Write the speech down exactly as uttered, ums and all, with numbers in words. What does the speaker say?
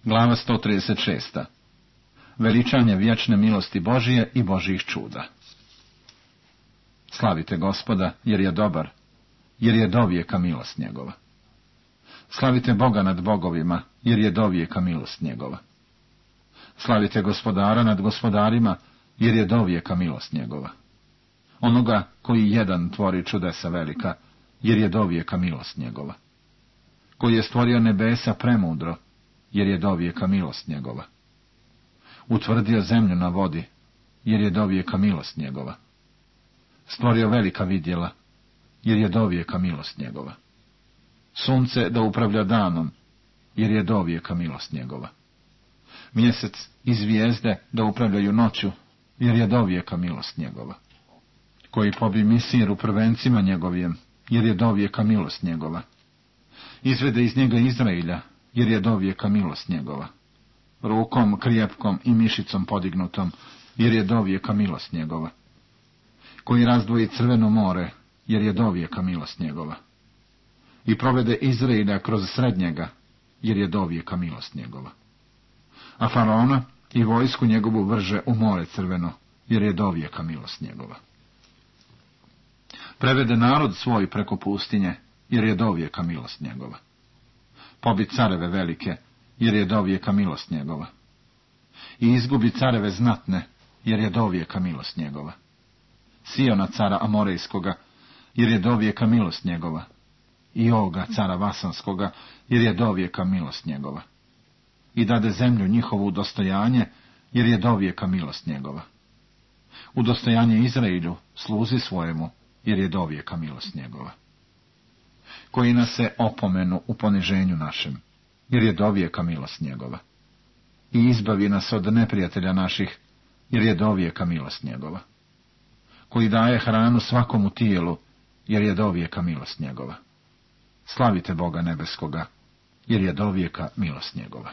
Glava sto trideset šest. Veličanje vječne milosti Božije i Božjih čuda. Slavite Gospoda, jer je dobar, jer je dovijeka milost njegova. Slavite Boga nad bogovima, jer je dovijeka milost njegova. Slavite Gospodara nad gospodarima, jer je dovijeka milost njegova. Onoga koji jedan tvori čudesa velika, jer je dovijeka milost njegova. Koji je stvorio nebesa premudro, jer je dovijeka milost njegova. Utvrdio zemlju na vodi, jer je dovijeka milost njegova. Stvorio velika vidjela, jer je dovijeka milost njegova. Sunce da upravlja danom, jer je dovijeka milost njegova. Mjesec i zvijezde da upravljaju noću, jer je dovijeka milost njegova. Koji pobi Misir u prvencima njegovim, jer je dovijeka milost njegova. Izvede iz njega Izrailja, jer je dovijeka milost njegova. Rukom krijepkom i mišicom podignutom, jer je dovijeka milost njegova. Koji razdvoji Crveno more, jer je dovijeka milost njegova. I provede Izrailja kroz srednjega, jer je dovijeka milost njegova. A faraona i vojsku njegovu vrže u more Crveno, jer je dovijeka milost njegova. Prevede narod svoj preko pustinje, jer je dovijeka milost njegova. Pobi careve velike, jer je dovijeka milost njegova. I izgubi careve znatne, jer je dovijeka milost njegova. Siona cara Amorejskoga, jer je dovijeka milost njegova. I Oga cara Vasanskoga, jer je dovijeka milost njegova. I dade zemlju njihovu u dostojanje, jer je dovijeka milost njegova. U dostojanje Izrailju, sluzi svojemu, jer je dovijeka milost njegova. Koji nas se opomenu u poniženju našem, jer je dovijeka milost njegova. I izbavi nas od neprijatelja naših, jer je dovijeka milost njegova. Koji daje hranu svakomu tijelu, jer je dovijeka milost njegova. Slavite Boga nebeskoga, jer je dovijeka milost njegova.